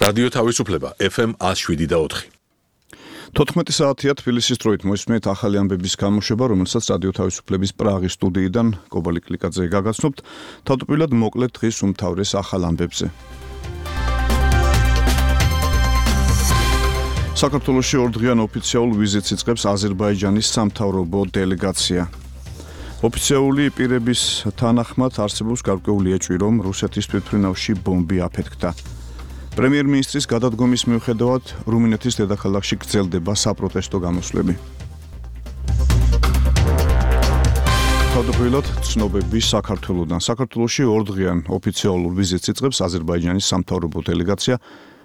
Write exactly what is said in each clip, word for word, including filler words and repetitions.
რადიო თავისუფლება ეფ ემ one oh seven და four. თოთხმეტი საათია თბილისის დროით მოისმენთ ახალი ამბების გამოშვება, რომელსაც რადიო თავისუფლების პრაღის სტუდიიდან კობალი კლიკაძე გაგაცნობთ. თავდაპირველად მოკლედ დღის უმთავრეს ახალ ამბებზე. საქართველოში ორდღიან ოფიციალურ ვიზიტს იწყებს აზერბაიჯანის სამთავრობო დელეგაცია. ოფიციალური პირების თანახმად არსებობს გარკვეული ეჭვი, რომ რუსეთის თვითმფრინავში ბომბი აფეთქდა. პრემიერ-მინისტრის გადადგომის მიუხედავად რუმინეთის დედაქალაქში გრძელდება საპროტესტო გამოსვლები. თავდაპირველად ცნობები საქართველოდან. საქართველოში ორდღიან ოფიციალურ ვიზიტს იწყებს აზერბაიჯანის სამთავრობო დელეგაცია.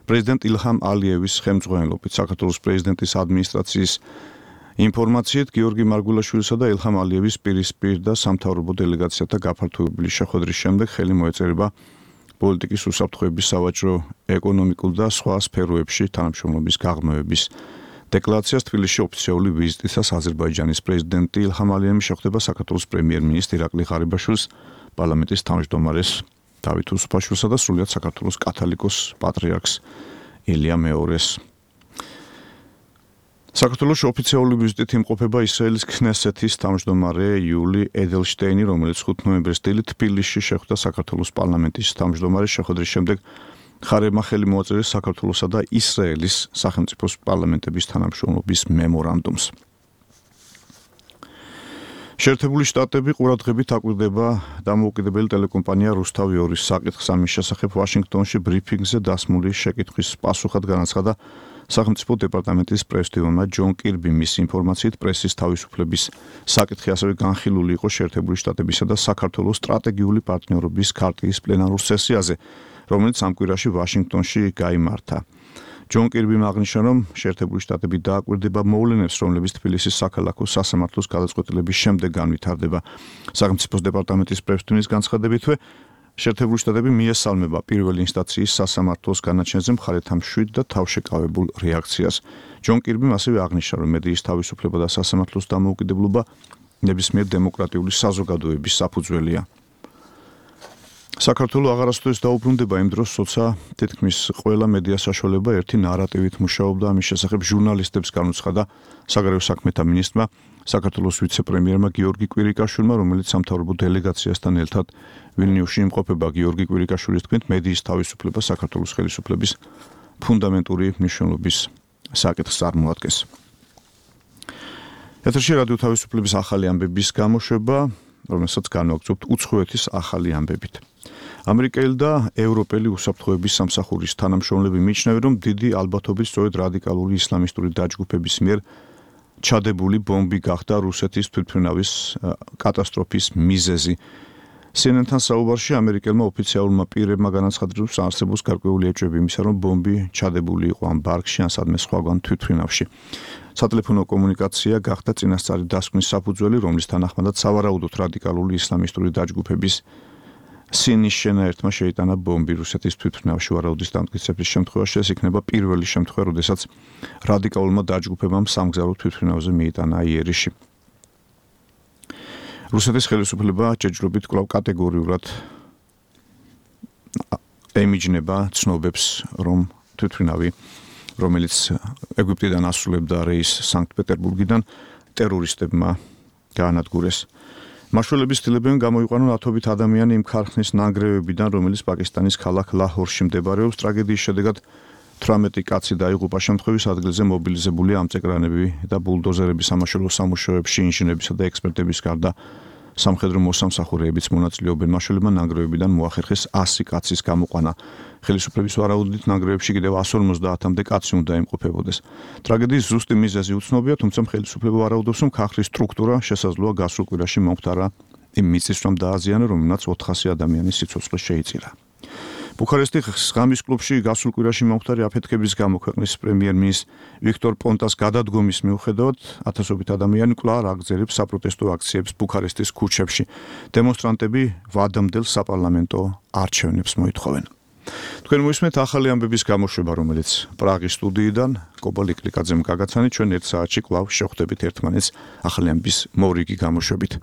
პრეზიდენტ ილჰამ ალიევის ხელმძღვანელობით საქართველოს პრეზიდენტის ადმინისტრაციის ინფორმაციით გიორგი მარგულაშვილისა და ილჰამ ალიევის პირისპირ და სამთავრობო დელეგაციათა გაფართოებული შეხვედრის შემდეგ ხელი მოეწერება პოლიტიკის უსაფრთხოების, სავაჭრო, ეკონომიკურ და სხვა სფეროებში თანამშრომლობის გაღრმავების დეკლარაციას. თბილისში ოფიციალური ვიზიტისას აზერბაიჯანის პრეზიდენტი ილჰამ ალიევი შეხვდება საქართველოს პრემიერ-მინისტრ ირაკლი ღარიბაშვილს, პარლამენტის თავმჯდომარეს დავით უსუფაშვილსა და სრულიად საქართველოს კათოლიკოს პატრიარქს ილია მეორეს. საქართველოს ოფიციალური ვიზიტით იმყოფება ისრაელის ქნესეთის თავმჯდომარე იული ედელშტეინი, რომელიც ხუთ ნოემბერს დილით თბილისში შეხვდა საქართველოს პარლამენტის თავმჯდომარის შეხვედრის შემდეგ. ხარებმა ხელი მოაწერეს საქართველოსა და ისრაელის სახელმწიფოს პარლამენტების თანამშრომლობის მემორანდუმს. შეერთებული შტატები ყურადღებით აკვირდება დამოუკიდებელი ტელეკომპანია რუსთავი ორის საკითხს. ამის შესახებ ვაშინგტონში ბრიფინგზე დასმული შეკითხვის პასუხად განაცხადა სახელმწიფო დეპარტამენტის პრესდივონმა ჯონ კირბი. მის ინფორმაციით პრესის თავისუფლების საკითხი ასევე განხილული იყო შეერთებული შტატებისა და საქართველოს სტრატეგიული პარტნიორობის ქარტიის პლენარულ სესიაზე, რომელიც ამ კვირაში ვაშინგტონში გაიმართა. ჯონ კირბიმ აღნიშნა, რომ შეერთებული შტატები დააკვირდება მოვლენებს, რომლებიც თბილისის საქალაქო სასამართლოს გადაწყვეტილების შემდეგ განვითარდება. სახელმწიფოს დეპარტამენტის პრესდივონის განცხადებითვე შეერთებული შტატები მიესალმება პირველი ინსტანციის სასამართლოს განაჩენზე მხარეთა მშვიდ და თავშეკავებულ რეაქციას. ჯონ კირბიმ ასევე აღნიშნა, რომ მედიის თავისუფლება და სასამართლოს დამოუკიდებლობა ნებისმიერ დემოკრატიული საზოგადოების საფუძველია. საქართველო აღარასდროს დაუბრუნდება იმ დროს, როცა თითქმის ყველა მედია საშუალება ერთი ნარატივით მუშაობდა. ამის შესახებ ჟურნალისტებს განუცხადა საგარეო საქმეთა მინისტრმა, საქართველოს ვიცე-პრემიერმა გიორგი კვირიკაშვილმა, რომელიც სამთავრობო დელეგაციასთან ერთად ვილნიუსში იმყოფება. გიორგი კვირიკაშვილის თქმით, მედიის თავისუფლება საქართველოს ხელისუფლების ფუნდამენტური მნიშვნელობის საკითხს წარმოადგენს. ეთერში რადიო თავისუფლების ახალი ამბების გამოშვება, რომელსაც განვაგრძობთ უცხოეთის ახალი ამბებით. ამერიკელი და ევროპელი უსაფრთხოების სამსახურის თანამშრომლები მიიჩნევენ, რომ დიდი ალბათობით სწორედ რადიკალური ისლამისტური დაჯგუფების მიერ ჩადებული ბომბი გახდა რუსეთის თვითმფრინავის კატასტროფის მიზეზი. C N N-თან საუბარში ამერიკელმა ოფიციალურმა პირებმა განაცხადა, რომ არსებობს გარკვეული ეჭვები იმისა, რომ ბომბი ჩადებული იყო ამ ბარგში ან სადმე სხვაგან თვითმფრინავში. სატელეფონო კომუნიკაცია გახდა წინასწარი დასკვნის საფუძველი, რომლის თანახმადაც სავარაუდოდ რადიკალური ისლამისტური დაჯგუფების სინის შენაერთმა შეიტანა ბომბი რუსეთის თვითმფრინავში. ვარაუდის დამტკიცების შემთხვევაში ეს იქნება პირველი შემთხვევა, როდესაც რადიკალურმა დაჯგუფებამ სამგზავრო თვითმფრინავზე მიიტანა იერიში. რუსეთის ხელისუფლება ჯერჯერობით კვლავ კატეგორიულად ემიჯნება ცნობებს, რომ თვითმფრინავი, რომელიც ეგვიპტიდან ასრულებდა რეისს სანქტ-პეტერბურგიდან, ტერორისტებმა გაანადგურეს. მაშველების ცდილებენ გამოიყვანონ ათობით ადამიანი იმ ქარხნის ნანგრევებიდან, რომელიც პაკისტანის ქალაქ ლაჰორში მდებარეობს. ტრაგედიის შედეგად თვრამეტი კაცი დაიღუპა. შემთხვევის ადგილზე მობილიზებული ამწეკრანები და ბულდოზერები, სამაშველო სამუშაოებში ინჟინერებისა და ექსპერტების გარდა სამხედრო მოსამსახურეებიც მონაწილეობენ. მაშველებმა ნანგრევებიდან მოახერხეს ასი კაცის გამოყვანა. ხელისუფლების ვარაუდით ნანგრევებში კიდევ εκατს ორმოცდაათამდე კაცი უნდა იმყოფებოდეს. ტრაგედიის ზუსტი მიზეზი უცნობია, თუმცა ხელისუფლება ვარაუდობს, რომ ქარხნის სტრუქტურა შესაძლოა გასულ კვირაში მომხდარა იმ მიწის რომ დააზიანა, რომელმაც ოთხასი ადამიანის სიცოცხლე შეიწირა. ბუქარესტის ღამის კლუბში გასულ კვირაში მომხდარი აფეთქების გამო ქვეყნის პრემიერ-მინისტრ ვიქტორ პონტას გადადგომის მიუხედავად ათასობით ადამიანი კვლავ აგრძელებს საპროტესტო აქციებს ბუქარესტის ქუჩებში. დემონსტრანტები ვადამდელ საპარლამენტო არჩევნებს მოითხოვენ. თქვენ მოისმენთ ახალი ამბების გამოშვება, რომელიც პრაღის სტუდიიდან კობალი კლიკაძემ გაგაცანით. ჩვენ ერთ საათში კვლავ შევხვდებით ერთმანეთს ახალი ამბების მორიგი გამოშვებით.